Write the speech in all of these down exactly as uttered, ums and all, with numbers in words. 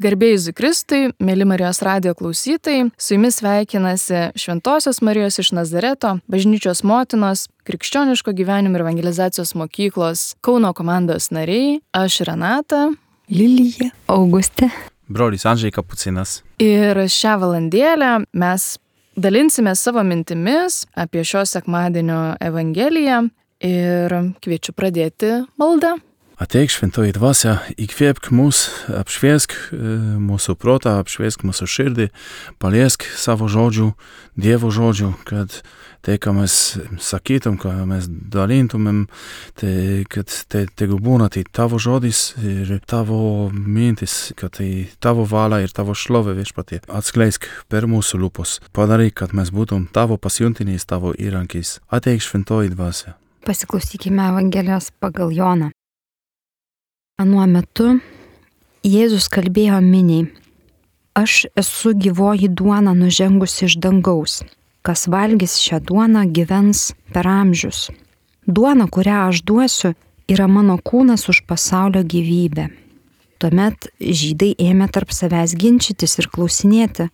Garbė Jėzui Kristui, mėly Marijos radijo klausytojai, su jumis sveikinasi Šventosios Marijos iš Nazareto, bažnyčios motinos, krikščioniško gyvenimo ir evangelizacijos mokyklos Kauno komandos nariai, aš Renata, Lilija, Augustė, brolis Andžej Kapucinas. Ir šią valandėlę mes dalinsime savo mintimis apie šio sekmadienio evangeliją ir kviečiu pradėti maldą. Ateik, šventoji dvasia, įkvėpk mus, apšviesk mūsų protą, apšviesk mūsų širdį, paliesk savo žodžių, Dievo žodžių, kad tai, ką mes sakytum, ką mes dalintumėm, tai kad tai tegu būna tai tavo žodis ir tavo mintis, kad tai tavo valia ir tavo šlovė viešpatie. Atskleisk per mūsų lūpos, padaryk, kad mes būtum tavo pasiuntiniais, tavo įrankiais. Ateik, šventoji dvasia. Pasiklausykime Evangelijos pagal Joną. Anuo metu Jėzus kalbėjo miniai: Aš esu gyvoji duona nužengusi iš dangaus. Kas valgys šią duoną, gyvens per amžius. Duona, kurią aš duosiu, yra mano kūnas už pasaulio gyvybę. Tuomet žydai ėmė tarp savęs ginčytis ir klausinėti,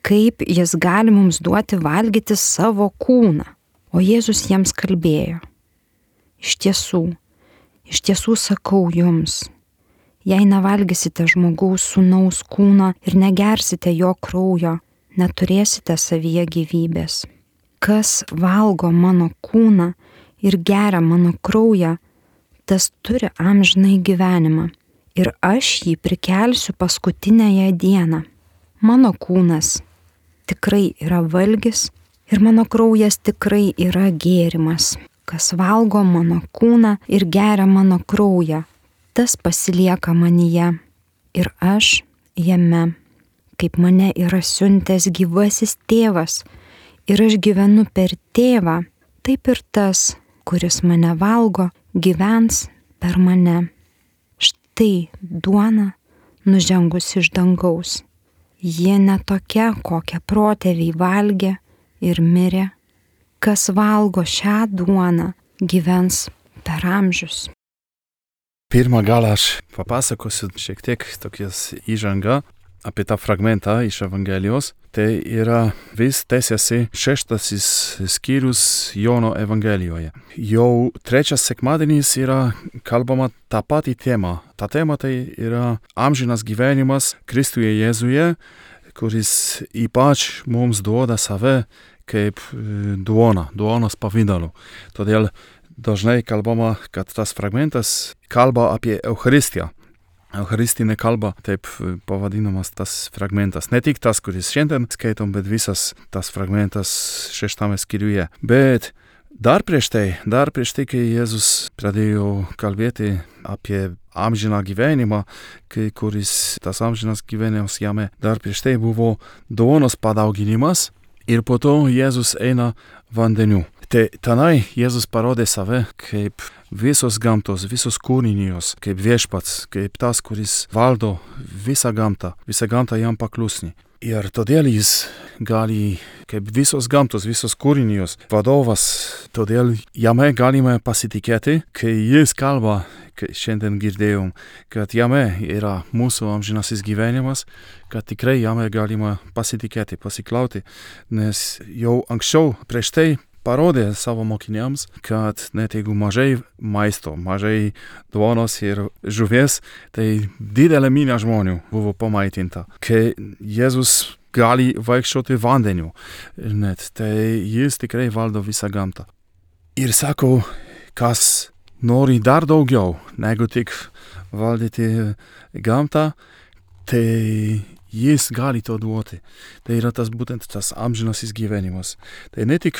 kaip jis gali mums duoti valgyti savo kūną. O Jėzus jiems kalbėjo: Iš tiesų, Iš tiesų sakau jums, jei nevalgysite žmogaus sūnaus kūno ir negersite jo kraujo, neturėsite savyje gyvybės. Kas valgo mano kūną ir geria mano kraują, tas turi amžinai gyvenimą, ir aš jį prikelsiu paskutinėje dieną. Mano kūnas tikrai yra valgis ir mano kraujas tikrai yra gėrimas. Kas valgo mano kūną ir geria mano kraują, tas pasilieka manyje ir aš jame. Kaip mane yra siuntęs gyvasis tėvas ir aš gyvenu per tėvą, taip ir tas, kuris mane valgo, gyvens per mane. Štai duona nužengus iš dangaus. Jie ne tokia, kokią protėviai valgė ir mirė. Kas valgo šią duoną, gyvens per amžius. Pirmą galą aš papasakosiu šiek tiek tokias įžangą apie tą fragmentą iš Evangelijos. Tai yra vis tęsiasi šeštasis skyrius Jono Evangelijoje. Jau trečias sekmadienis yra kalbama tą patį temą. Ta tema tai yra amžinas gyvenimas Kristuje Jėzuje, kuris ypač mums duoda save kaip duona, duonos pavidalu. Todėl dažnai kalbama, kad tas fragmentas kalba apie Eucharistiją. Eucharistinė kalba, taip pavadinamas tas fragmentas. Ne tik tas, kuris šiandien skaitom, bet visas tas fragmentas šeštame skyriuje. Bet dar prieš tai, dar prieš tai, kai Jėzus pradėjo kalbėti apie amžiną gyvenimą, kai kuris tas amžinas gyvenimas jame, dar prieš tai buvo duonos padauginimas. Ir po to Jėzus eina vandeniu. Tai tenai Jėzus parodė save kaip visos gamtos, visos kūrinijos, kaip viešpats, kaip tas, kuris valdo visą gamtą, visą gamtą jam paklusni. Ir todėl jis gali, kaip visos gamtos, visos kūrinijos vadovas, todėl jame galime pasitikėti, kai jis kalba, kai šiandien girdėjom, kad jame yra mūsų amžinasis gyvenimas, kad tikrai jame galima pasitikėti, pasiklauti, nes jau anksčiau prieš tai parodė savo mokiniams, kad net jeigu mažai maisto, mažai duonos ir žuvies, tai didelė minia žmonių buvo pamaitinta. Kai Jėzus gali vaikščioti vandeniu, net, tai jis tikrai valdo visą gamtą. Ir sako, kas nori dar daugiau negu tik valdyti gamtą, tai jis gali to duoti. Tai yra tas būtent tas amžinasis gyvenimas. Tai ne tik,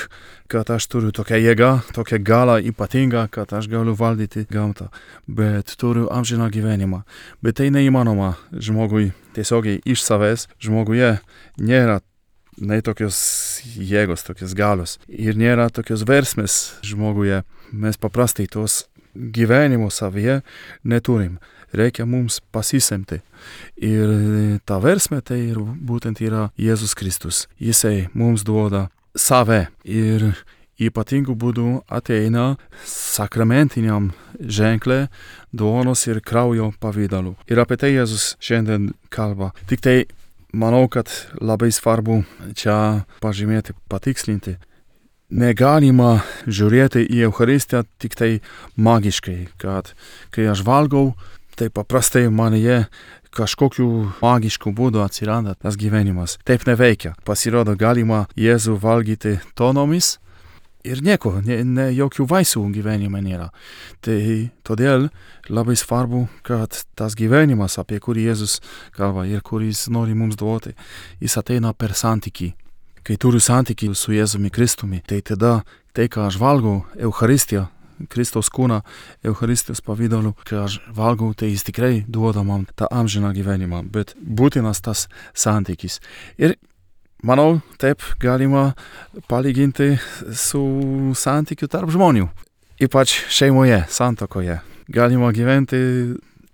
kad aš turiu tokią jėgą, tokią galą ypatingą, kad aš galiu valdyti gamtą, bet turiu amžiną gyvenimą. Bet tai neįmanoma žmogui tiesiogiai iš savęs. Žmoguje nėra nei tokios jėgos, tokios galios. Ir nėra tokios versmės žmoguje. Mes paprastai tos gyvenimo savyje neturim. Reikia mums pasisemti. Ir ta versmė tai būtent yra Jėzus Kristus. Jisai mums duoda save ir ypatingų būdų ateina sakramentiniam ženklė duonos ir kraujo pavidalu. Ir apie tai Jėzus šiandien kalba. Tik tai manau, kad labai svarbu čia pažymėti, patikslinti. Negalima žiūrėti į Eucharistiją tik tai magiškai, kad kai aš valgau, tai paprastai manyje kažkokiu magišku būdu atsiranda tas gyvenimas. Taip neveikia. Pasirodo, galima Jėzų valgyti tonomis ir nieko, ne, ne jokių vaisių gyvenime nėra. Tai todėl labai svarbu, kad tas gyvenimas, apie kurį Jėzus kalba ir kuris nori mums duoti, jis ateina per santykį. Kai turiu santykį su Jėzumi Kristumi, tai tada tai, ką aš valgau, Eucharistiją, Kristaus kūną, Eucharistijos pavidalu, kai aš valgau, tai jis tikrai duoda man tą amžiną gyvenimą, bet būtinas tas santykis. Ir manau, taip galima palyginti su santykiu tarp žmonių, ypač šeimoje, santuokoje. Galima gyventi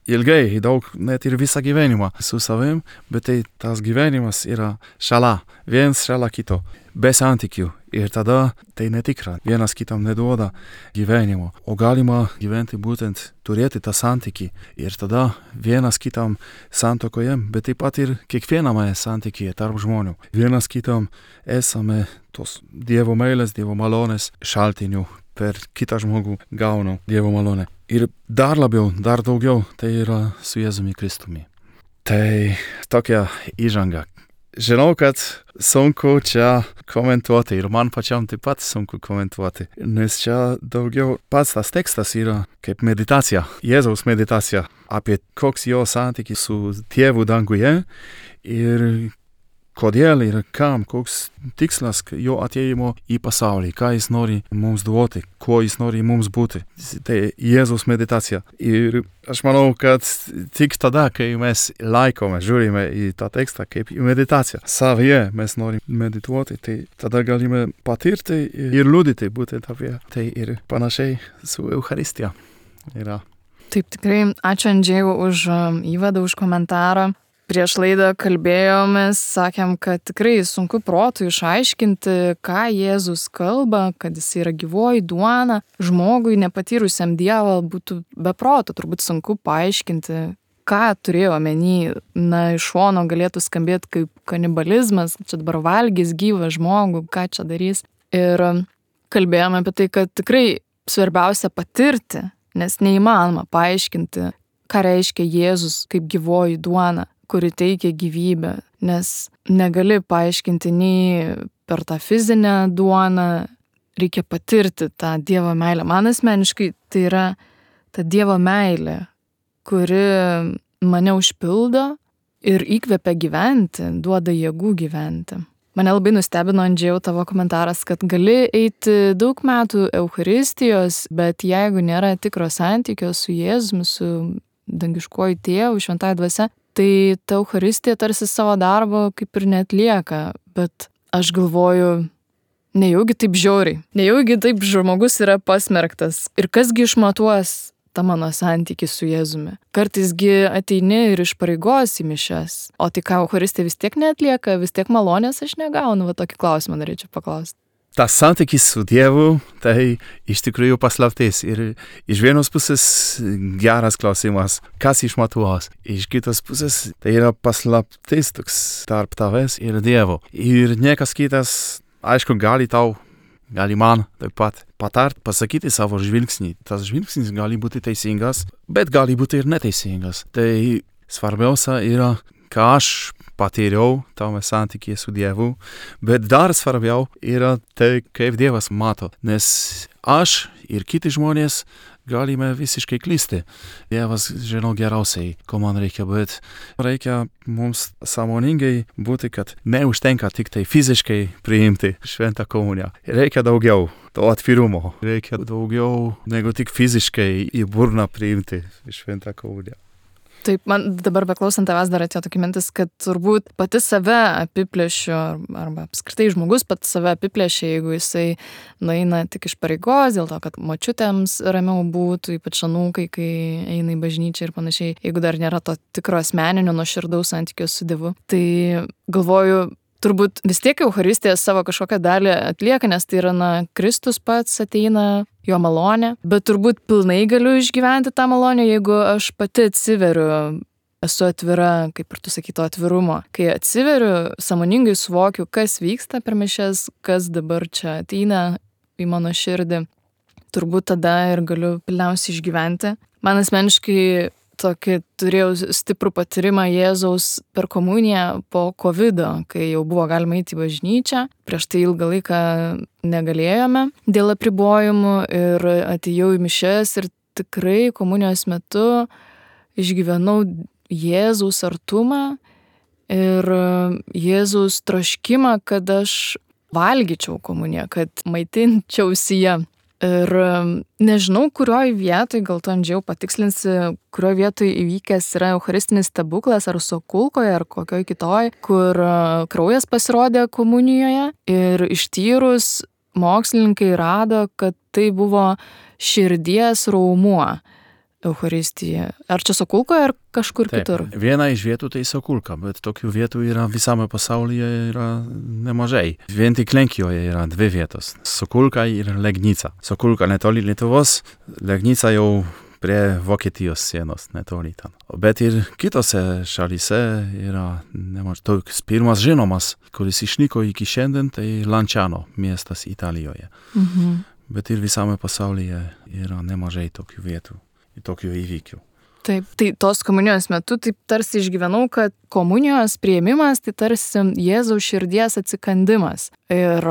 ilgai, daug, net ir visą gyvenimą su savim, bet tai tas gyvenimas yra šalia, viens šalia kito, be santykių. Ir tada tai netikra, vienas kitam neduoda gyvenimo. O galima gyventi būtent, turėti tą santykį. Ir tada vienas kitam santuokoje, bet taip pat ir kiekviename santykyje tarp žmonių. Vienas kitam esame tos Dievo meilės, Dievo malonės šaltinių. Per kitą žmogų gaunu Dievo malonę. Ir dar labiau, dar daugiau, tai yra su Jėzumi Kristumi. Tai tokia įžanga. Žinau, kad sunku čia komentuoti ir man pačiam taip pat sunku komentuoti, nes čia daugiau pats tas tekstas yra kaip meditacija, Jėzaus meditacija apie koks jo santykis su Tėvu danguje ir kodėl ir kam, koks tikslas jo atėjimo į pasaulį, ką jis nori mums duoti, kuo jis nori mums būti. Tai Jėzaus meditacija. Ir aš manau, kad tik tada, kai mes laikome, žiūrime į tą tekstą kaip į meditaciją, savyje mes norime medituoti, tai tada galime patirti ir liudyti būtent apie tai ir panašiai su Eucharistija yra. Taip, tikrai ačiū Andžėjau už įvadą, už komentarą. Prieš laidą kalbėjomės, sakėm, kad tikrai sunku protu išaiškinti, ką Jėzus kalba, kad jis yra gyvoji duona. Žmogui nepatyrusiam Dievą būtų be proto, turbūt sunku paaiškinti, ką turėjo omeny. Na, iš šono galėtų skambėti kaip kanibalizmas, čia dabar valgys gyvą žmogų, ką čia darys. Ir kalbėjome apie tai, kad tikrai svarbiausia patirti, nes neįmanoma paaiškinti, ką reiškia Jėzus kaip gyvoji duona, kuri teikia gyvybę, nes negali paaiškinti nei per tą fizinę duoną, reikia patirti tą Dievo meilę. Man asmeniškai tai yra ta Dievo meilė, kuri mane užpildo ir įkvepia gyventi, duoda jėgų gyventi. Mane labai nustebino, Andžėjau, tavo komentaras, kad gali eiti daug metų Eucharistijos, bet jeigu nėra tikro santykio su Jėzumi, su dangiškuoju Tėvu, šventąja dvasia, tai ta Eucharistija tarsi savo darbo kaip ir neatlieka, bet aš galvoju, nejaugi taip žiauriai, nejaugi taip žmogus yra pasmerktas. Ir kasgi išmatuos tą mano santykį su Jėzumi? Kartaisgi ateini ir iš pareigos į mišias, o tai ką Eucharistija vis tiek neatlieka, vis tiek malonės aš negaunu, va tokį klausimą norėčiau paklausti. Tas santykis su Dievu, tai iš tikrųjų paslaptis. Ir iš vienos pusės geras klausimas, kas išmatuos. Iš kitos pusės tai yra paslaptis toks tarp tavęs ir Dievo. Ir niekas kitas, aišku, gali tau, gali man taip pat patart, pasakyti savo žvilgsnį. Tas žvilgsnis gali būti teisingas, bet gali būti ir neteisingas. Tai svarbiausia yra, ką aš patyriau tame santykyje su Dievu, bet dar svarbiau yra tai, kaip Dievas mato, nes aš ir kiti žmonės galime visiškai klysti. Dievas žino geriausiai, ko man reikia, bet reikia mums sąmoningai būti, kad neužtenka tik tai fiziškai priimti šventą komuniją. Reikia daugiau to atvirumo, reikia daugiau negu tik fiziškai į burną priimti šventą komuniją. Taip, man dabar beklausant tavęs dar atėjo tokia mintis, kad turbūt pati save apiplėšiu, arba apskritai žmogus pati save apiplėšia, jeigu jisai nueina tik iš pareigos, dėl to, kad močiutėms ramiau būtų, ypač anūkai, kai eina į bažnyčią ir panašiai, jeigu dar nėra to tikro asmeninio nuoširdaus santykio su Dievu. Tai galvoju, turbūt vis tiek Eucharistija savo kažkokią dalį atlieka, nes tai yra, na, Kristus pats ateina, jo malonė, bet turbūt pilnai galiu išgyventi tą malonę, jeigu aš pati atsiveriu, esu atvira, kaip ir tu sakyto, atvirumo. Kai atsiveriu, sąmoningai suvokiu, kas vyksta per mišias, kas dabar čia ateina į mano širdį, turbūt tada ir galiu pilniausiai išgyventi. Man asmeniškai tokį turėjau stiprų patyrimą Jėzaus per komuniją po kovido, kai jau buvo galima eiti į bažnyčią. Prieš tai ilgą laiką negalėjome dėl apribojimų ir atėjau į mišias ir tikrai komunijos metu išgyvenau Jėzaus artumą ir Jėzaus troškimą, kad aš valgyčiau komuniją, kad maitinčiausi ją. Ir nežinau, kurioj vietoj, gal tu Andžiau patikslinsi, kurioj vietoj įvykęs yra eucharistinis stebuklas, ar Sokulkoje, ar kokioj kitoj, kur kraujas pasirodė komunijoje ir ištyrus mokslininkai rado, kad tai buvo širdies raumuo Eucharistija. Ar čia Sokulkoje, ar kažkur Taip, kitur? Viena iš vietų tai Sokulka, bet tokių vietų yra visame pasaulyje yra nemažai. Vien tik Lenkijoje yra dvi vietos. Sokulka ir Legnica. Sokulka netoli Lietuvos, Legnica jau prie Vokietijos sienos netoli ten. Bet ir kitose šalyse yra nemažai. Toks pirmas žinomas, kuris išnyko iki šiandien, tai Lanciano miestas Italijoje. Mhm. Bet ir visame pasaulyje yra nemažai tokių vietų. Tokių įvykių. Taip, tai tos komunijos metu taip tarsi išgyvenau, kad komunijos priėmimas tai tarsi Jėzaus širdies atsikandimas. Ir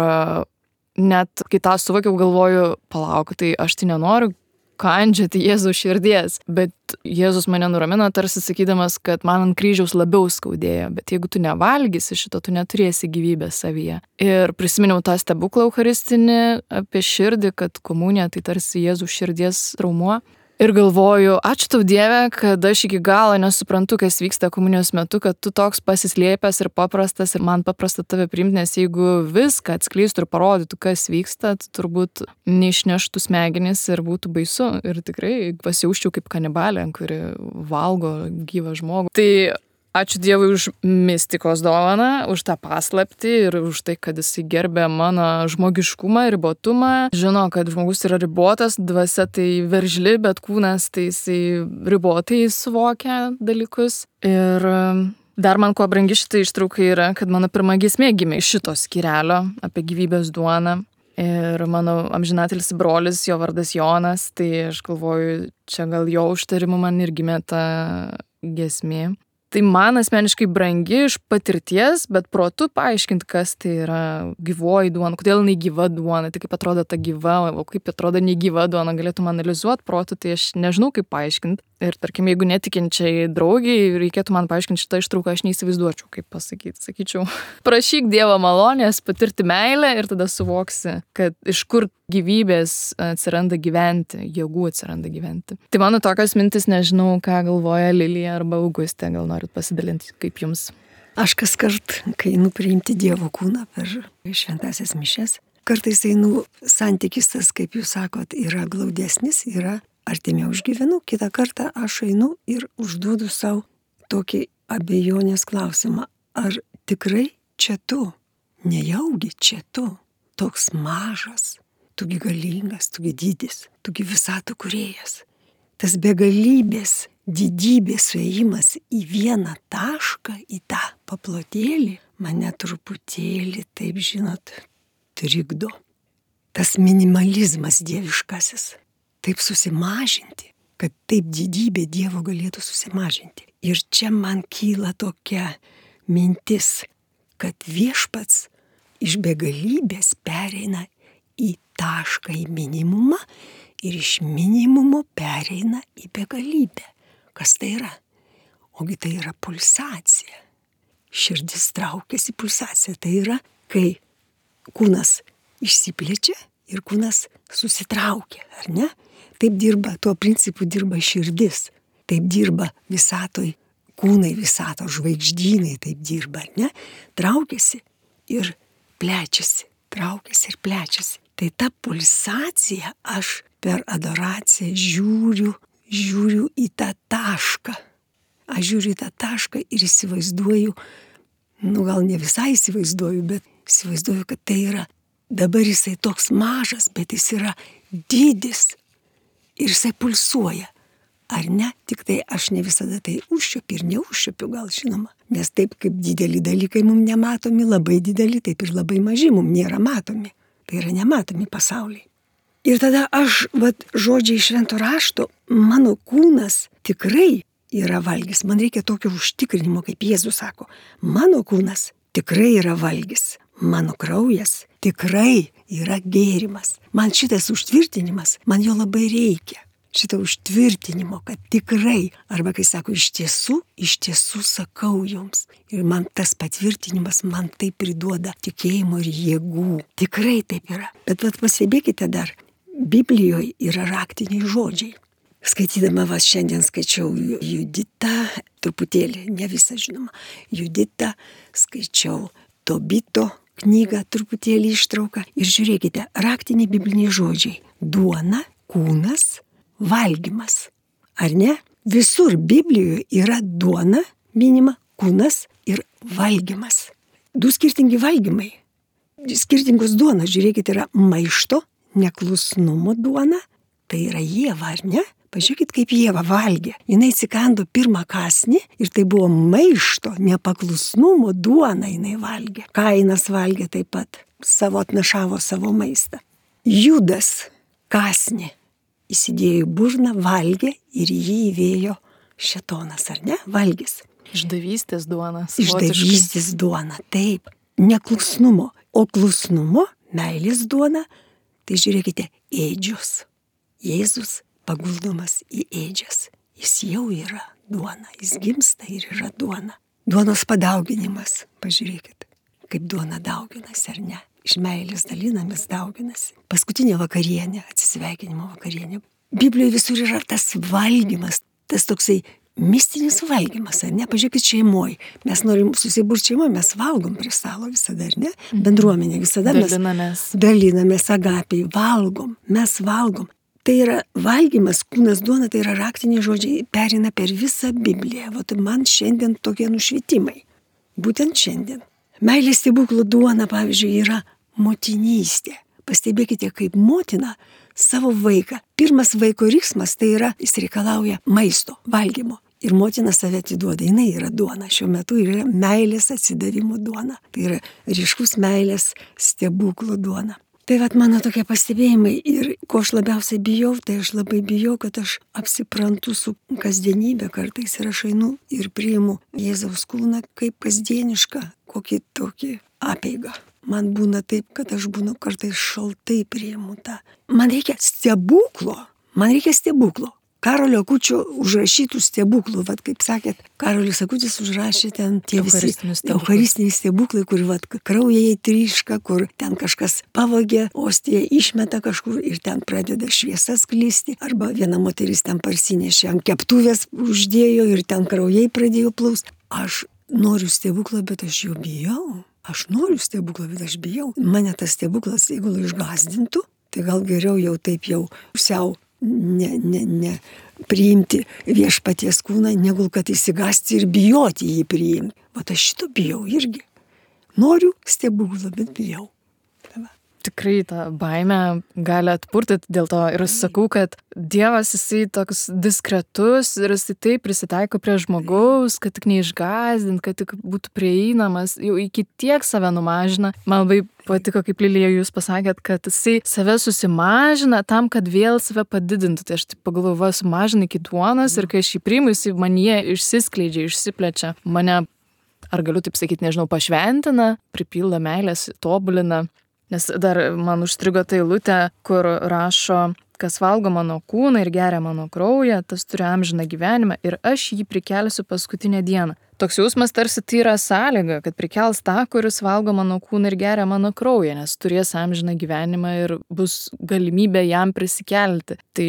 net kai tą suvokiau, galvoju, palauk, tai aš tai nenoriu kandžiati Jėzaus širdies, bet Jėzus mane nuramino tarsi sakydamas, kad man ant kryžiaus labiau skaudėjo, bet jeigu tu nevalgysi šito, tu neturėsi gyvybės savyje. Ir prisiminiau tą stebuklą eucharistinį apie širdį, kad komunija tai tarsi Jėzaus širdies raumuo. Ir galvoju, ačiū tau Dieve, kad aš iki galo nesuprantu, kas vyksta komunijos metu, kad tu toks pasislėpęs ir paprastas ir man paprasta tave priimti, nes jeigu viską atskleistų ir parodytų, kas vyksta, tai turbūt neišneštų smegenis ir būtų baisu. Ir tikrai pasijausčiau kaip kanibalė, kuri valgo gyvą žmogų. Tai ačiū Dievui už mistikos dovaną, už tą paslaptį ir už tai, kad jisai gerbė mano žmogiškumą, ribotumą. Žino, kad žmogus yra ribotas, dvasia tai veržli, bet kūnas tai jisai ribotai suvokia dalykus. Ir dar man kuo brangi šitą ištrauką yra, kad mano pirma giesmė gimė iš šito skyrelio apie gyvybės duoną. Ir mano amžinatelis brolis, jo vardas Jonas, tai aš galvoju, čia gal jo užtarimu man ir gimė ta giesmė. Tai man asmeniškai brangi iš patirties, bet protu paaiškinti, kas tai yra gyvoji duona, kodėl jinai gyva duona, tai kaip atrodo ta gyva, o kaip atrodo negyva duona, galėtum analizuoti protu, tai aš nežinau, kaip paaiškinti. Ir tarkim, jeigu netikinčiai draugiai reikėtų man paaiškinti šitą ištrauką, aš neįsivaizduočiau, kaip pasakyti. Sakyčiau, prašyk Dievo malonės, patirti meilę ir tada suvoksi, kad iš kur gyvybės atsiranda gyventi, jėgų atsiranda gyventi. Tai mano tokios mintis, nežinau, ką galvoja Lilija arba Augustė, gal norit pasidalinti, kaip jums? Aš kas kart, kai einu priimti Dievo kūną per šventąsias mišias, kartais einu santykis tas, kaip jūs sakot, yra glaudesnis, yra artimiau išgyvenu, kitą kartą aš einu ir užduodu savo tokį abejonės klausimą. Ar tikrai čia tu, nejaugi čia tu, toks mažas, tugi galingas, tugi didis, tugi visatų kūrėjas. Tas begalybės, didybės suėjimas į vieną tašką, į tą paplotėlį, mane truputėlį, taip žinot, trikdo. Tas minimalizmas dieviškasis. Taip susimažinti, kad taip didybė Dievo galėtų susimažinti. Ir čia man kyla tokia mintis, kad viešpats iš begalybės pereina į tašką, į minimumą ir iš minimumo pereina į begalybę. Kas tai yra? Ogi tai yra pulsacija. Širdis traukiasi pulsacija. Tai yra, kai kūnas išsiplečia ir kūnas susitraukia, ar ne? Taip dirba, tuo principu dirba širdis. Taip dirba visatoj, kūnai visato, žvaigždynai taip dirba, ar ne? Traukiasi ir plečiasi, traukiasi ir plečiasi. Tai ta pulsacija aš per adoraciją žiūriu, žiūriu į tą tašką. Aš žiūriu į tą tašką ir įsivaizduoju nu gal ne visai įsivaizduoju, bet įsivaizduoju, kad tai yra, dabar jisai toks mažas, bet jis yra didis ir jisai pulsuoja. Ar ne? Tik tai aš ne visada tai užčiuopiu ir neužčiuopiu gal, žinoma. Nes taip kaip dideli dalykai mums nematomi, labai dideli, taip ir labai maži mums nėra matomi. Tai yra nematomi pasauliai. Ir tada aš, vat, žodžiai švento rašto, mano kūnas tikrai yra valgis. Man reikia tokio užtikrinimo, kaip Jėzus sako. Mano kūnas tikrai yra valgis. Mano kraujas tikrai yra gėrimas. Man šitas užtvirtinimas, man jo labai reikia. Šito užtvirtinimo, kad tikrai, arba kai sako, iš tiesų, iš tiesų sakau jums. Ir man tas patvirtinimas man tai priduoda tikėjimo ir jėgų. Tikrai taip yra. Bet vat pastebėkite dar, Biblijoje yra raktiniai žodžiai. Skaitydama vas šiandien skaičiau Juditą, truputėlį, ne visą žinoma, Juditą, skaičiau Tobito knygą, truputėlį ištrauką. Ir žiūrėkite, raktiniai bibliniai žodžiai. Duona, kūnas, valgymas. Ar ne? Visur Biblijoje yra duona, minima, kūnas ir valgymas. Du skirtingi valgymai. Skirtingos duonos, žiūrėkite, yra maišto, neklusnumo duona. Tai yra Ieva, ar ne? Pažiūrėkit, kaip Ieva valgė. Jinai atsikando pirmą kąsnį ir tai buvo maišto, nepaklusnumo duona jinai valgė. Kainas valgė taip pat, savo atnašavo savo maistą. Judas kąsnį įsidėjo į burną, valgė ir jį įvėjo šėtonas, ar ne? Valgys. Išdavystės duona. Išdavystės duona, taip. Neklusnumo. O klusnumo, meilės duona, tai žiūrėkite, ėdžios. Jėzus paguldomas į ėdžias. Jis jau yra duona. Jis gimsta ir yra duona. Duonos padauginimas. Pažiūrėkit, kaip duona dauginasi, ar ne? Iš meilės dalinamės dauginasi. Paskutinė vakarienė, atsisveikinimo vakarienė. Biblijoje visur yra tas valgymas, tas toksai mistinis valgymas, ar ne? Pažiūrėkit, šeimoje. Mes norim susiburti šeimoje, mes valgom prie stalo visada, ar ne? Bendruomenė visada mes dalinamės. Dalinamės agapiai, valgom, mes valgom. Tai yra valgymas, kūnas duona, tai yra raktiniai žodžiai, perina per visą Bibliją. Vat man šiandien tokie nušvitimai. Būtent šiandien. Meilės stebuklų duona, pavyzdžiui, yra motinystė. Pastebėkite, kaip motina savo vaiką. Pirmas vaiko riksmas tai yra, jis reikalauja maisto, valgymo. Ir motina save atiduoda, jinai yra duona. Šiuo metu yra meilės atsidavimo duona. Tai yra ryškus meilės stebuklų duona. Tai vat mano tokie pastebėjimai ir ko aš labiausiai bijau, tai aš labai bijau, kad aš apsiprantu su kasdienybė kartais ir aš einu ir priimu Jėzaus kūną kaip kasdienišką, kokį tokį apeigą. Man būna taip, kad aš būnu kartais šaltai priimu tą. Man reikia stebuklo, man reikia stebuklo. Karolio Akučio užrašytų stebuklų, vat kaip sakėt, Karolis Akutis užrašė ten tie visi eucharistiniai stebuklai, kur vat kraujai tryška, kur ten kažkas pavogė, ostiją išmeta kažkur ir ten pradeda šviesa sklisti, arba viena moteris ten parsinešė ant keptuvės uždėjo ir ten kraujai pradėjo plaust. Aš noriu stebuklą, bet aš jo bijau. Aš noriu stebuklą, bet aš bijau. Mane tas stebuklas, jeigu išgąsdintų, tai gal geriau jau taip jau pusiau ne, ne, ne priimti viešpaties kūną, negu kad įsigąsti ir bijoti jį priimti. Vat aš šito bijau irgi. Noriu stebuklą, bet bijau. Tikrai tą baimę gali atpurtyti, dėl to ir sakau, kad Dievas jisai toks diskretus ir jisai taip prisitaiko prie žmogaus, kad tik neišgąsdint, kad tik būtų prieinamas, jau iki tiek save numažina. Man labai patiko, kaip Lilija jūs pasakėt, kad jisai save susimažina tam, kad vėl save padidintų. Tai aš taip pagalvoju, va, sumažina iki duonos ir kai aš jį priimu, jisai manyje išsiskleidžia, išsiplečia. Mane, ar galiu taip sakyti, nežinau, pašventina, pripildo meilės, tobulina. Nes dar man užstrigo ta eilutė, kur rašo, kas valgo mano kūną ir geria mano kraują, tas turi amžiną gyvenimą ir aš jį prikelsiu paskutinę dieną. Toks jausmas tarsi tai yra sąlyga, kad prikels tą, kuris valgo mano kūną ir geria mano kraują, nes turės amžiną gyvenimą ir bus galimybė jam prisikelti. Tai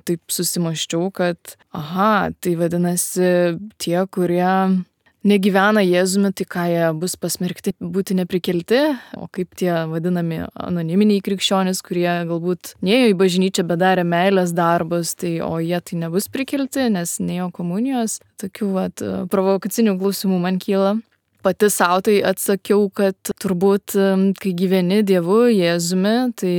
taip susimaščiau, kad aha, tai vadinasi tie, kurie negyvena Jėzumi, tai ką jie bus pasmerkti būti neprikelti, o kaip tie vadinami anoniminiai krikščionys, kurie galbūt nėjo į bažnyčią, bet darė meilės darbus, tai o jie tai nebus prikelti, nes nėjo komunijos. Tokių vat, provokacinių klausimų man kyla. Pati savo tai atsakiau, kad turbūt, kai gyveni Dievu, Jėzumi, tai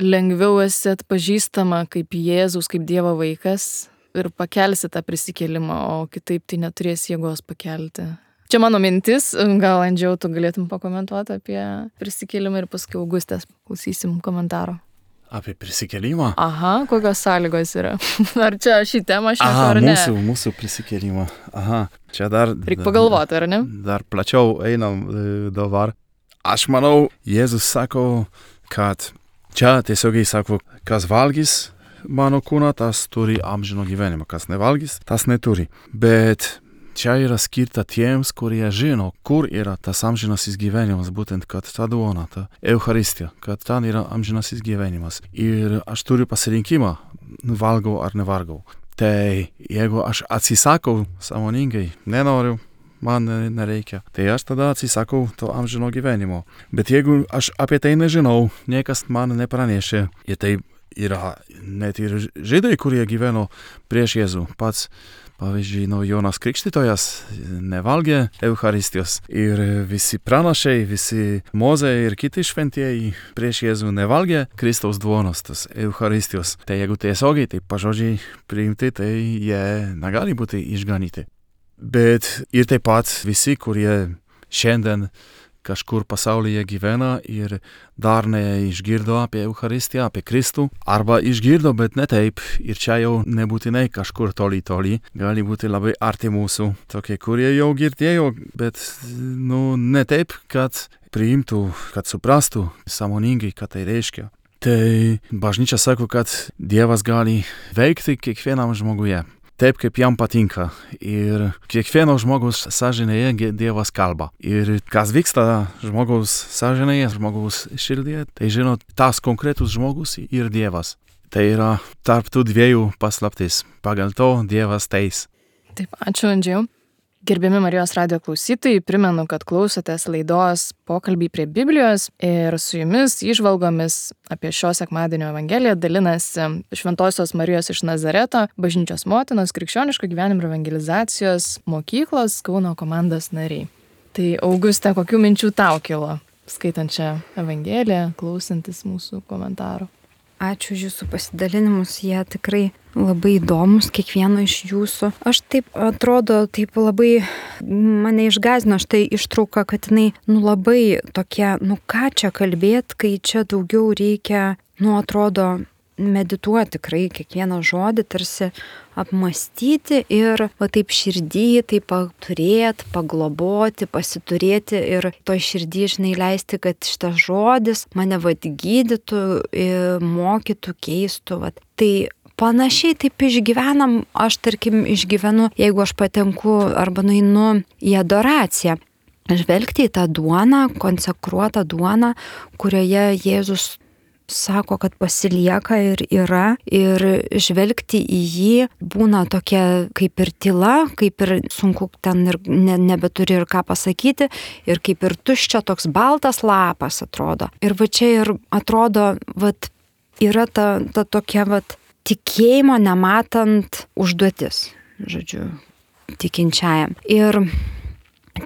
lengviau esi atpažįstama kaip Jėzus, kaip Dievo vaikas ir pakelsi tą prisikėlimą, o kitaip tai neturės jėgos pakelti. Čia mano mintis, gal Andžiau, tu galėtum pakomentuoti apie prisikėlimą ir paskui Augustės klausysim komentaro. Apie prisikėlimą? Aha, kokios sąlygos yra? Ar čia šį temą aš nesu, ar ne? Mūsų, mūsų prisikėlimą. Aha, čia dar... Reikia pagalvoti, ar ne? Dar plačiau einam dabar. Aš manau, Jėzus sako, kad čia tiesiogiai sako, kas valgys mano kūną, tas turi amžino gyvenimą, kas nevalgys, tas neturi. Bet čia yra skirta tiems, kurie žino, kur yra tas amžinasis gyvenimas, būtent, kad ta duona, ta Eucharistija, kad ten yra amžinasis gyvenimas. Ir aš turiu pasirinkimą, valgau ar nevalgau. Tai jeigu aš atsisakau sąmoningai, nenoriu, man nereikia, tai aš tada atsisakau to amžino gyvenimo. Bet jeigu aš apie tai nežinau, niekas man nepranešė, ir tai yra net ir žydai, kurie gyveno prieš Jėzų. Pats, pavyzdžiui, no, Jonas Krikštytojas nevalgė Eucharistijos ir visi pranašai, visi Mozė ir kiti šventieji prieš Jėzų nevalgė Kristaus duonos, tos Eucharistijos. Tai jeigu tiesiogiai, tai pažodžiai priimti, tai jie negali būti išganyti. Bet ir taip pat visi, kurie šiandien kažkur pasaulyje gyvena ir dar neišgirdo apie Eucharistiją, apie Kristų, arba išgirdo, bet ne taip, ir čia jau nebūtinai kažkur toli toli, gali būti labai arti mūsų, tokie, kurie jau girdėjo, bet nu, ne taip, kad priimtų, kad suprastų sąmoningai, ką tai reiškia. Tai bažnyčia sako, kad Dievas gali veikti kiekvienam žmoguje. Taip, kaip jam patinka. Ir kiekvieno žmogaus sąžinėje Dievas kalba. Ir kas vyksta žmogaus sąžinėje, žmogaus širdyje, tai žino tas konkretus žmogus ir Dievas. Tai yra tarp tų dviejų paslaptis. Pagal to Dievas teis. Taip, ačiū, Andžiau. Gerbiami Marijos radijo klausytojai, primenu, kad klausotės laidos Pokalbiai prie Biblijos ir su jumis įžvalgomis apie šio sekmadienio Evangeliją dalinasi Šventosios Marijos iš Nazareto, Bažnyčios motinos, Krikščioniško gyvenimo ir evangelizacijos mokyklos Kauno komandos nariai. Tai Auguste, kokių minčių tau kilo, skaitant šią Evangeliją, klausantis mūsų komentarų? Ačiū už jūsų pasidalinimus, jie tikrai labai įdomus, kiekvieno iš jūsų. Aš taip, atrodo, taip labai mane išgąsdino štai ištrauka, kad jinai, nu labai tokia, nu ką čia kalbėt, kai čia daugiau reikia, nu atrodo, medituoti tikrai kiekvieną žodį, tarsi apmastyti ir va taip širdį, taip turėti, pagloboti, pasiturėti ir to širdį, žinai, leisti, kad šitas žodis mane vad gydytų, mokytų, keistų. Vat. Tai panašiai taip išgyvenam, aš tarkim išgyvenu, jeigu aš patenku arba nueinu į adoraciją. Žvelgti į tą duoną, konsekruotą duoną, kurioje Jėzus sako, kad pasilieka ir yra, ir žvelgti į jį būna tokia kaip ir tyla, kaip ir sunku ten ir ne, nebeturi ir ką pasakyti, ir kaip ir tuščia toks baltas lapas atrodo. Ir va čia ir atrodo, vat, yra ta, ta tokia vat, tikėjimo nematant užduotis, žodžiu, tikinčiajam. Ir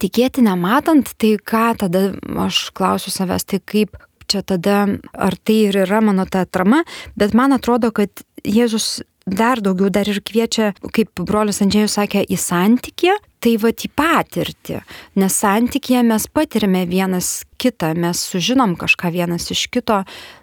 tikėti nematant, tai ką tada aš klausiu savęs, tai kaip čia tada, ar tai ir yra mano ta atrama, bet man atrodo, kad Jėzus dar daugiau dar ir kviečia, kaip brolis Andžėjus sakė, į santykį, tai va į patirtį, nes santykyje mes patiriame vienas kitą, mes sužinom kažką vienas iš kito,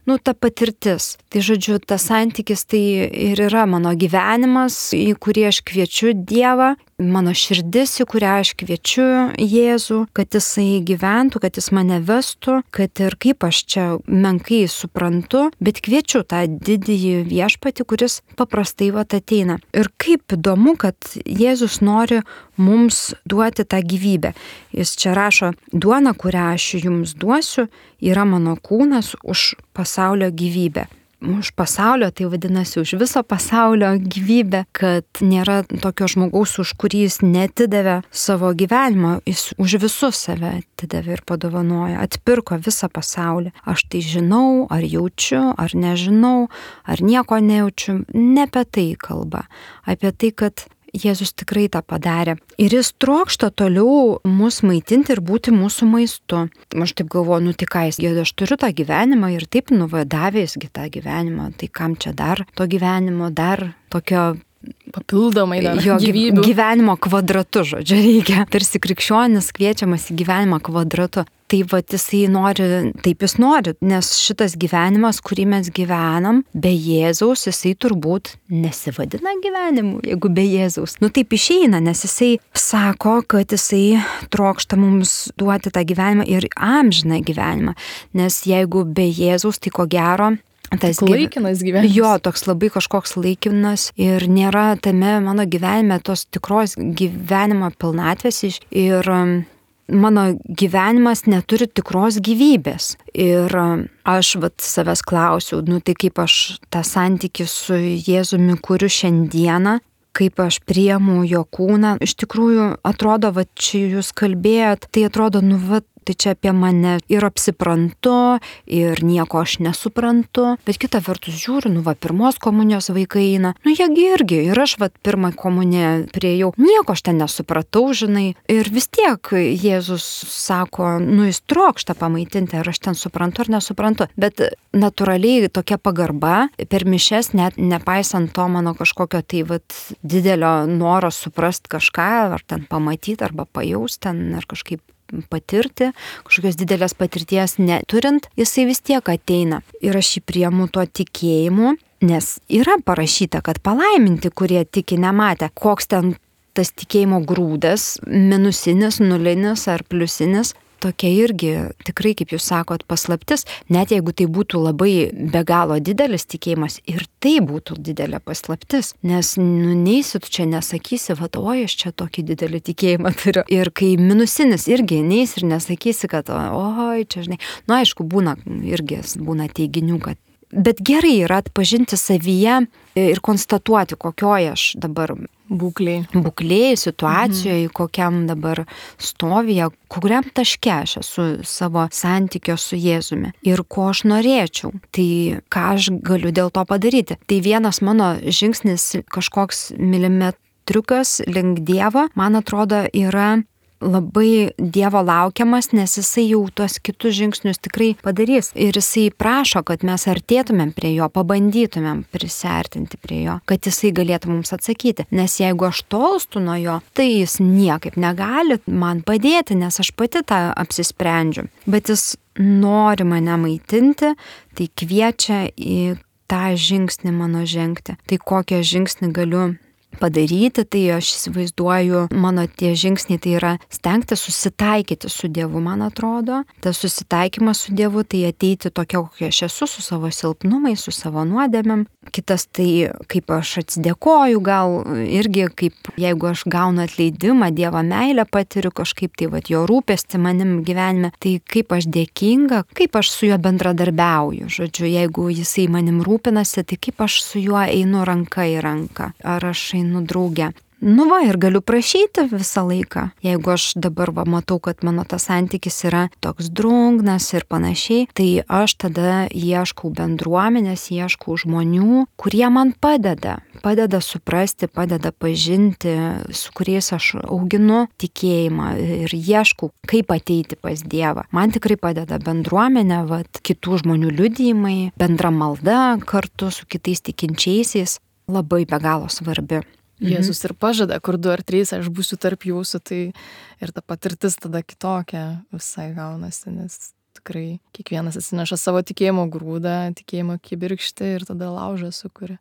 nu ta patirtis. Tai žodžiu, tas santykis tai ir yra mano gyvenimas, į kurį aš kviečiu Dievą, mano širdis, į kurią aš kviečiu Jėzų, kad jisai gyventų, kad jis mane vestų, kad ir kaip aš čia menkai suprantu, bet kviečiu tą didįjį viešpatį, kuris paprastai vat ateina. Ir kaip įdomu, kad Jėzus nori mums duoti tą gyvybę. Jis čia rašo, duona, kurią aš jums duosiu, yra mano kūnas už pasaulio gyvybę. Už pasaulio, tai vadinasi už viso pasaulio gyvybę, kad nėra tokio žmogaus, už kurį jis netidavė savo gyvenimo, jis už visus save atidavė ir padovanojo, atpirko visą pasaulį. Aš tai žinau, ar jaučiu, ar nežinau, ar nieko nejaučiu, ne apie tai kalba, apie tai, kad Jėzus tikrai tą padarė. Ir jis trokšta toliau mus maitinti ir būti mūsų maistu. Aš taip galvoju, nu tai ką jis, aš turiu tą gyvenimą ir taip nuvadavė jisgi tą gyvenimą, tai kam čia dar to gyvenimo, dar tokio papildomai dar jo gyvybių. Gyvenimo kvadratu, žodžiu, reikia. Tarsi krikščionis kviečiamas į gyvenimą kvadratu. Tai va, jisai nori, taip jis nori, nes šitas gyvenimas, kurį mes gyvenam, be Jėzaus, jisai turbūt nesivadina gyvenimu, jeigu be Jėzaus. Nu taip išeina, nes jisai sako, kad jisai trokšta mums duoti tą gyvenimą ir amžiną gyvenimą. Nes jeigu be Jėzaus, tai ko gero, tas laikinas gyvenimas. Jo, toks labai kažkoks laikinas ir nėra tame mano gyvenime tos tikros gyvenimo pilnatvės ir mano gyvenimas neturi tikros gyvybės. Ir aš vat savęs klausiau, nu tai kaip aš tą santykį su Jėzumi kuriu šiandieną, kaip aš priemu jo kūną. Iš tikrųjų, atrodo, va čia jūs kalbėjot, tai atrodo, nu va, tai čia apie mane ir apsiprantu, ir nieko aš nesuprantu, bet kita vertus žiūriu, nu va, pirmos komunijos vaikai eina, nu jiegi irgi, ir aš va pirmą komuniją priėjau, nieko aš ten nesupratau, žinai, ir vis tiek Jėzus sako, nu jis trokšta pamaitinti, ar aš ten suprantu ar nesuprantu, bet natūraliai tokia pagarba per mišias, net nepaisant to mano kažkokio tai va didelio noro suprast kažką, ar ten pamatyti, arba pajaust ten, ar kažkaip patirti, kažkokios didelės patirties neturint, jisai vis tiek ateina. Ir aš jį priemu tuo tikėjimu, nes yra parašyta, kad palaiminti, kurie tiki nematę, koks ten tas tikėjimo grūdas, minusinis, nulinis ar pliusinis, tokia irgi tikrai, kaip jūs sakot, paslaptis, net jeigu tai būtų labai be galo didelis tikėjimas, ir tai būtų didelė paslaptis, nes nu, neisi tu čia nesakysi, va, oi, aš čia tokį didelį tikėjimą turiu. Ir kai minusinis irgi neisi ir nesakysi, kad oi, čia žinai, nu aišku, būna irgi būna teiginių, kad bet gerai yra atpažinti savyje ir konstatuoti, kokioje aš dabar būklėje, būklėje, situacijoje, mhm. kokiam dabar stovyje, kuriam taške aš esu savo santykio su Jėzumi ir ko aš norėčiau. Tai ką aš galiu dėl to padaryti. Tai vienas mano žingsnis, kažkoks milimetriukas link Dievo, man atrodo, yra labai Dievo laukiamas, nes jisai jau tuos kitus žingsnius tikrai padarys. Ir jisai prašo, kad mes artėtumėm prie jo, pabandytumėm prisiartinti prie jo, kad jisai galėtų mums atsakyti. Nes jeigu aš tolstu nuo jo, tai jis niekaip negali man padėti, nes aš pati tą apsisprendžiu. Bet jis nori mane maitinti, tai kviečia į tą žingsnį mano žengti. Tai kokią žingsnį galiu padaryti, tai aš įsivaizduoju, mano tie žingsniai tai yra stengti susitaikyti su Dievu, man atrodo. Tas susitaikymas su Dievu tai ateiti tokia, kokia aš esu, su savo silpnumais, su savo nuodėmėm. Kitas tai, kaip aš atsidėkoju, gal irgi kaip jeigu aš gaunu atleidimą, Dievo meilę patiriu kažkaip, tai vat jo rūpestį manim gyvenime, tai kaip aš dėkinga, kaip aš su juo bendradarbiauju. Žodžiu, jeigu jisai manim rūpinasi, tai kaip aš su juo einu ranka į ranką. Ar aš einu drauge. Nu va, ir galiu prašyti visą laiką. Jeigu aš dabar va, matau, kad mano tas santykis yra toks drungnas ir panašiai, tai aš tada ieškau bendruomenės, ieškau žmonių, kurie man padeda. Padeda suprasti, padeda pažinti, su kuriais aš auginu tikėjimą ir ieškau, kaip ateiti pas Dievą. Man tikrai padeda bendruomenė, va, kitų žmonių liudijimai, bendra malda kartu su kitais tikinčiaisiais. Labai be galo svarbi. Jėzus ir pažada, kur du ar trys, aš būsiu tarp jūsų, tai ir ta patirtis tada kitokia visai gaunasi, nes tikrai kiekvienas atsineša savo tikėjimo grūdą, tikėjimo kibirkštį ir tada laužą sukuria.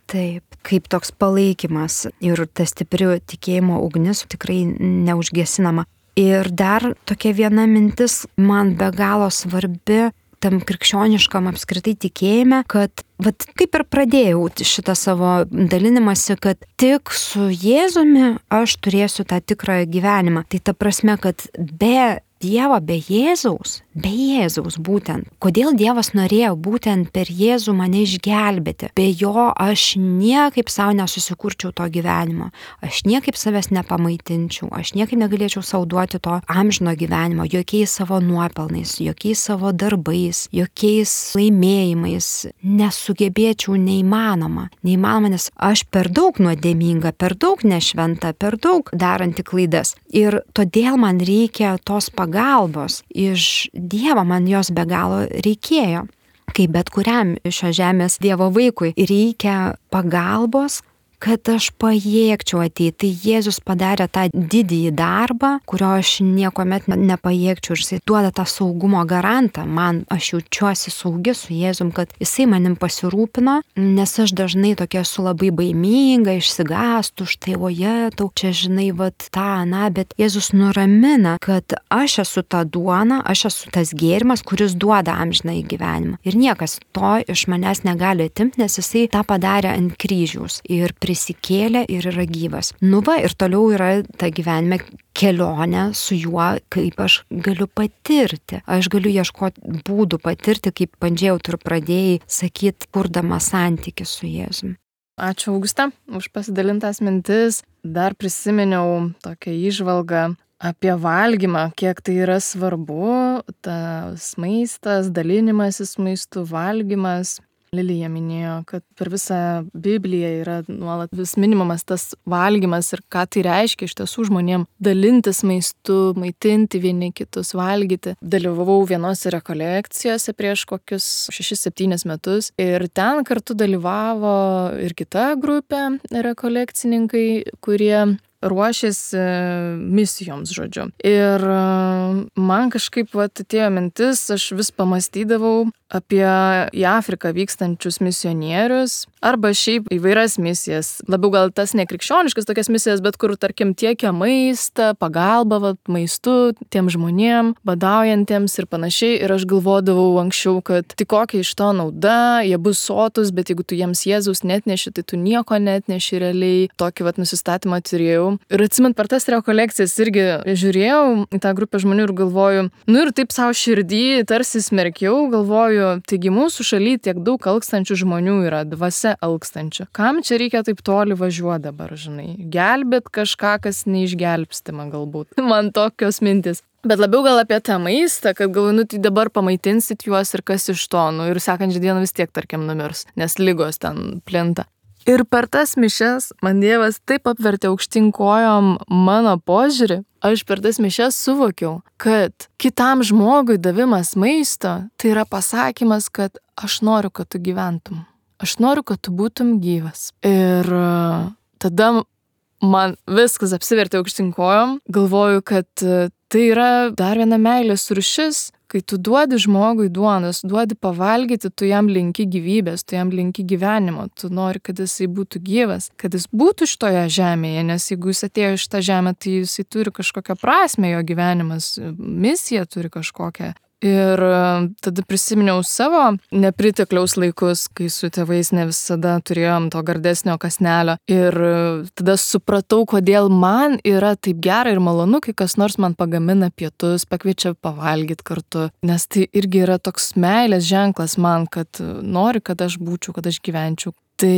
Taip, kaip toks palaikymas ir ta stipri tikėjimo ugnis tikrai neužgesinama. Ir dar tokia viena mintis man be galo svarbi, tam krikščioniškam apskritai tikėjime, kad vat, kaip ir pradėjau šitą savo dalinimąsi, kad tik su Jėzumi aš turėsiu tą tikrą gyvenimą. Tai ta prasme, kad be Dievą be Jėzaus, be Jėzaus būtent. Kodėl Dievas norėjo būtent per Jėzų mane išgelbėti? Be jo aš niekaip savo nesusikurčiau to gyvenimo, aš niekaip savęs nepamaitinčiau, aš niekaip negalėčiau sau duoti to amžino gyvenimo, jokiais savo nuopelnais, jokiais savo darbais, jokiais laimėjimais, nesugebėčiau, neįmanoma. Neįmanoma, nes aš per daug nuodėminga, per daug nešventa, per daug daranti klaidas. Ir todėl man reikia tos pagalbos iš Dievo, man jos be galo reikėjo. Kaip bet kuriam šio žemės Dievo vaikui reikia pagalbos, kad aš pajėgčiau ateiti. Tai Jėzus padarė tą didįjį darbą, kurio aš niekuomet nepajėgčiau. Ir jisai duoda tą saugumo garantą. Man, aš jaučiuosi saugi su Jėzum, kad jisai manim pasirūpino, nes aš dažnai tokia esu labai baiminga, išsigąstu, štai oje, tau čia žinai, vat tą, na, bet Jėzus nuramina, kad aš esu ta duona, aš esu tas gėrimas, kuris duoda amžinąjį gyvenimą. Ir niekas to iš manęs negali atimti, nes jisai tą padarė ant kryžiaus. Ir prisikėlė ir yra gyvas. Nu va, ir toliau yra ta gyvenime kelionė su juo, kaip aš galiu patirti. Aš galiu ieškoti būdų patirti, kaip bandžiau tu ir pradėjai sakyti, kurdama santykį su Jėzum. Ačiū, Augusta, už pasidalintas mintis. Dar prisiminiau tokią įžvalgą apie valgymą, kiek tai yra svarbu, tas maistas, dalinimasis maistu, valgymas. Lilija minėjo, kad per visą Bibliją yra nuolat vis minimumas tas valgymas ir ką tai reiškia iš tiesų žmonėm dalintis maistu, maitinti vieni kitus, valgyti. Dalyvavau vienose rekolekcijose prieš kokius šešis septynis metus ir ten kartu dalyvavo ir kita grupė rekolekcininkai, kurie ruošėsi misijoms, žodžiu. Ir man kažkaip vat atėjo mintis, aš vis pamastydavau apie į Afriką vykstančius misionierius arba šiaip įvairias misijas. Labiau gal tas nekrikščioniškas tokias misijas, bet kur, tarkim, tiekia maistą, pagalba vat, maistu tiem žmonėm, badaujantiems ir panašiai. Ir aš galvodavau anksčiau, kad tik kokia iš to nauda, jie bus sotus, bet jeigu tu jiems Jėzaus netneši, tai tu nieko netneši realiai. Tokį vat nusistatymą turėjau. Ir atsimint, per tas rekolekcijas irgi žiūrėjau į tą grupę žmonių ir galvoju, nu ir taip savo širdį tarsi smerkiau, galvoju, taigi mūsų šaly tiek daug alkstančių žmonių yra, dvasia alkstančių. Kam čia reikia taip toli važiuoti dabar, žinai? Gelbėt kažką, kas neišgelbstima galbūt. Man tokios mintis. Bet labiau gal apie tą maistą, kad galvoju, nu tai dabar pamaitinsit juos ir kas iš to, nu ir sekančią dieną vis tiek, tarkim, numirs, nes ligos ten plinta. Ir per tas mišias man Dievas taip apvertė aukštyn kojom mano požiūrį. Aš per tas mišias suvokiau, kad kitam žmogui davimas maisto tai yra pasakymas, kad aš noriu, kad tu gyventum. Aš noriu, kad tu būtum gyvas. Ir tada man viskas apsivertė aukštyn kojom. Galvoju, kad tai yra dar viena meilės rūšis. Kai tu duodi žmogui duonos, duodi pavalgyti, tu jam linki gyvybės, tu jam linki gyvenimo, tu nori, kad jisai būtų gyvas, kad jis būtų šitoje žemėje, nes jeigu jis atėjo iš tą žemę, tai jisai turi kažkokią prasmę, jo gyvenimas, misija turi kažkokią. Ir tada prisiminiau savo nepritekliaus laikus, kai su tėvais ne visada turėjom to gardesnio kąsnelio. Ir tada supratau, kodėl man yra taip gera ir malonu, kai kas nors man pagamina pietus, pakviečia pavalgyti kartu. Nes tai irgi yra toks meilės ženklas man, kad nori, kad aš būčiau, kad aš gyvenčiau. Tai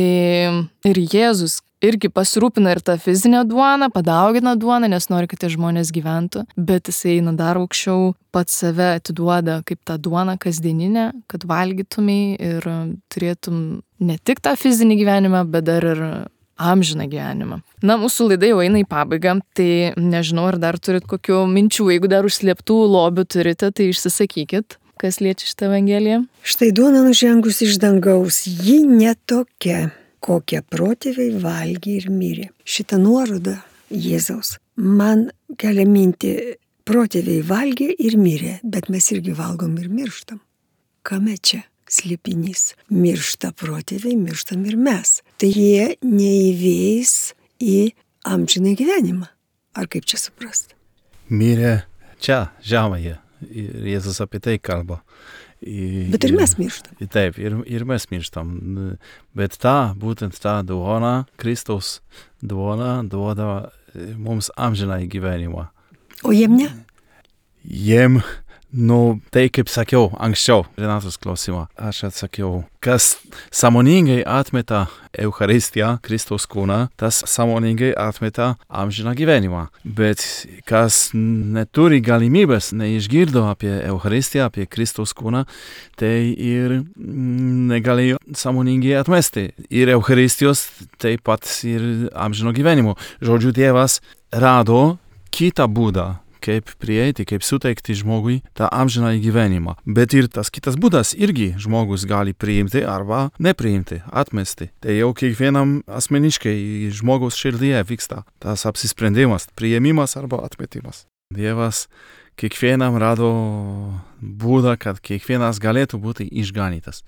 ir Jėzus irgi pasirūpina ir tą fizinę duoną, padaugina duoną, nes nori, kad tie žmonės gyventų, bet jisai eina dar aukščiau, pats save atiduoda kaip tą duoną kasdieninę, kad valgytumai ir turėtum ne tik tą fizinį gyvenimą, bet dar ir amžiną gyvenimą. Na, mūsų laida jau eina į pabaigą, tai nežinau, ar dar turit kokių minčių, jeigu dar užslėptų lobių turite, tai išsisakykit. Kas liečia šitą Evangeliją? Štai duona nužengus iš dangaus, ji netokia, kokią protėviai valgė ir mirė. Šitą nuorodą Jėzaus man kelia mintį, protėviai valgė ir mirė, bet mes irgi valgom ir mirštam. Kame čia slėpinys? Miršta protėviai, mirštam ir mes. Tai jie neįveis į amžiną gyvenimą. Ar kaip čia suprasti? Mirė čia, žemėje. Ir Jėzus apie tai kalba. Ir, bet ir mes mirštam. Ir, taip, ir, ir mes mirštam. Bet ta, būtent ta duona, Kristaus duona, duoda mums amžiną gyvenimą. O jiem ne? jiem, nu, tai kaip sakiau anksčiau, Renatos klausimą, aš atsakiau, kas sąmoningai atmeta Eucharistiją, Kristaus kūną, tas sąmoningai atmeta amžiną gyvenimą. Bet kas neturi galimybės, neišgirdo apie Eucharistiją, apie Kristaus kūną, tai ir negalėjo sąmoningai atmesti. Ir Eucharistijos taip pat ir amžino gyvenimo. Žodžiu, Dievas rado kitą būdą, kaip prieiti, kaip suteikti žmogui tą amžiną gyvenimą. Bet ir tas kitas būdas irgi žmogus gali priimti arba nepriimti, atmesti. Tai jau kiekvienam asmeniškai žmogaus širdyje vyksta tas apsisprendimas, priėmimas arba atmetimas. Dievas kiekvienam rado būdą, kad kiekvienas galėtų būti išganytas.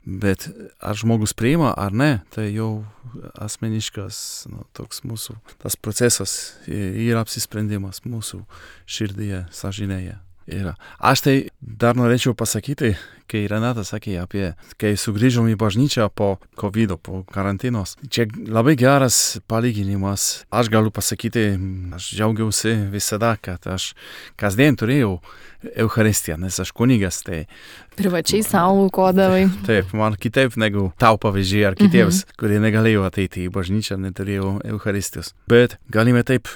Bet ar žmogus priima ar ne, tai jau asmeniškas, nu, toks mūsų, tas procesas yra apsisprendimas mūsų širdyje, sąžinėje. Yra. Aš tai dar norėčiau pasakyti, kai Renata sakė apie, kai sugrįžom į bažnyčią po kovido, po karantinos. Čia labai geras palyginimas. Aš galiu pasakyti, aš džiaugiausi visada, kad aš kasdien turėjau Eucharistiją, nes aš kunigas, tai... Privačiai savo aukodavai. Taip, man kitaip negu tau pavyzdžiai ar kitiems, mhm. kurie negalėjo ateiti į bažnyčią, neturėjo Eucharistijos. Bet galime taip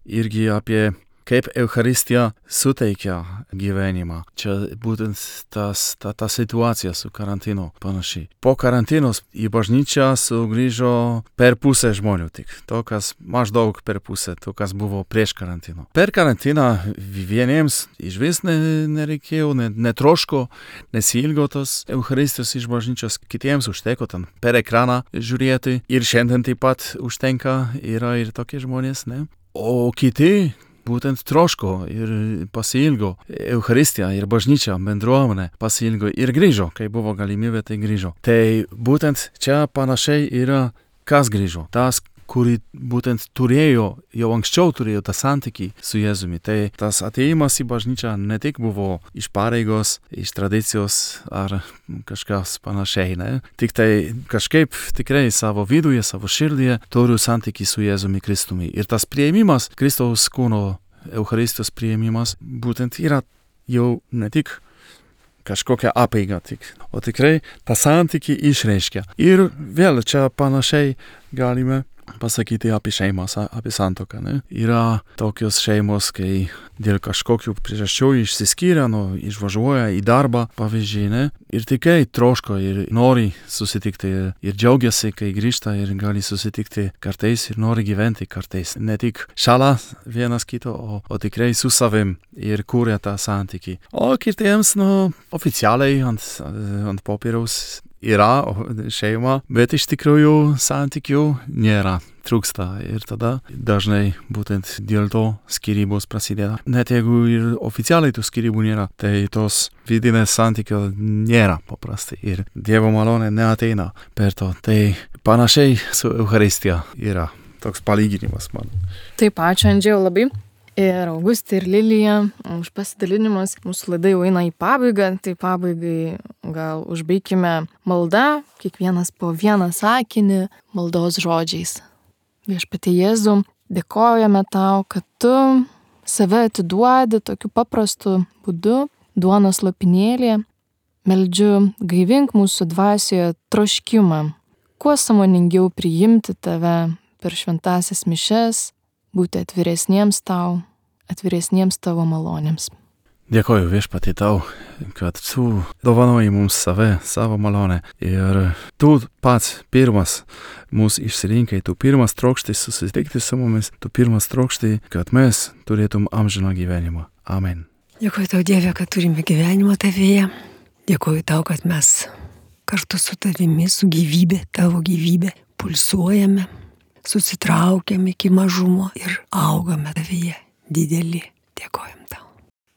irgi apie kaip Eucharistija suteikia gyvenimą. Čia būtent tas, ta, ta situacija su karantinu panašiai. Po karantinos į bažnyčią sugrįžo per pusę žmonių tik. To, kas maždaug per pusę, to, kas buvo prieš karantino. Per karantiną vieniems išvis ne, nereikėjo, ne, netroško, nesilgo tos Eucharistijos iš bažnyčios, kitiems užteko ten per ekraną žiūrėti. Ir šiandien taip pat užtenka, yra ir tokie žmonės, ne? O kiti būtent troško ir pasiilgo Eucharistiją ir bažnyčią, bendruomenę pasiilgo ir grįžo, kai buvo galimybė, tai grįžo. Tai būtent čia panašiai yra, kas grįžo. Tas, kurį būtent turėjo, jau anksčiau turėjo tą santykį su Jėzumi. Tai tas atėjimas į bažnyčią ne tik buvo iš pareigos, iš tradicijos ar kažkas panašiai, ne? Tik tai kažkaip tikrai savo viduje, savo širdyje turiu santykį su Jėzumi Kristumi. Ir tas priėmimas, Kristaus kūno Eucharistijos priėmimas, būtent yra jau ne tik kažkokia apeiga tik, o tikrai tą santykį išreiškia. Ir vėl čia panašiai galime pasakyti apie šeimas, apie santuoką, ne? Yra tokios šeimos, kai dėl kažkokių priežasčių išsiskiria, nu, išvažiuoja į darbą, pavyzdžiui, ne? Ir tikrai troško ir nori susitikti ir džiaugiasi, kai grįžta ir gali susitikti kartais ir nori gyventi kartais. Ne tik šalia vienas kito, o, o tikrai su savim ir kuria tą santykį. O kitiems, nu, oficialiai ant, ant popieriaus yra šeima, bet iš tikrųjų santykių nėra, trūksta ir tada dažnai būtent dėl to skyrybos prasideda. Net jeigu ir oficialiai tų skyrybų nėra, tai tos vidinės santykio nėra paprastai ir Dievo malonė neateina per to. Tai panašiai su Eucharistija yra toks palyginimas man. Taip, ačiū Andžėjau labai. Ir Augustė ir Lilija už pasidalinimus. Mūsų laida jau eina į pabaigą, tai pabaigai gal užbaikime maldą, kiekvienas po vieną sakinį maldos žodžiais. Viešpatie Jėzau, dėkojame tau, kad tu save atiduodi tokiu paprastu būdu, duonos lopinėlyje. Meldžiu, gaivink mūsų dvasioje troškimą, kuo sąmoningiau priimti tave per šventąsias mišias, būti atviresniems tau, atviresniems tavo malonėms. Dėkoju viešpatie tau, kad tu dovanoji mums save, savo malonę. Ir tu pats pirmas mūsų išsirinkai, tu pirmas trokšti susitikti su mumis, tu pirmas trokšti, kad mes turėtum amžiną gyvenimą. Amen. Dėkoju tau, Dieve, kad turime gyvenimą tavyje. Dėkoju tau, kad mes kartu su tavimi, su gyvybė, tavo gyvybė, pulsuojame, susitraukiam iki mažumo ir augame tavyje dideli. Dėkojam tau.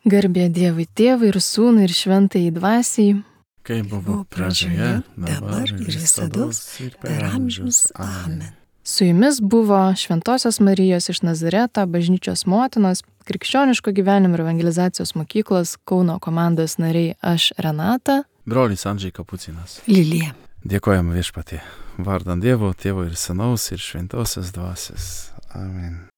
Garbė Dievui Tėvui ir Sūnui ir Šventajai Dvasiai. Kaip buvo pradžioje, dabar ir visados ir per amžius. Amen. Su jumis buvo Šventosios Marijos iš Nazareto bažnyčios motinos, Krikščioniško gyvenimo ir evangelizacijos mokyklos Kauno komandos nariai aš Renata. Brolis Andžej Kapucinas. Lilija. Dėkojam viešpatie. Vardan Dievo, Tėvo ir Sūnaus ir Šventosios Dvasios. Amen.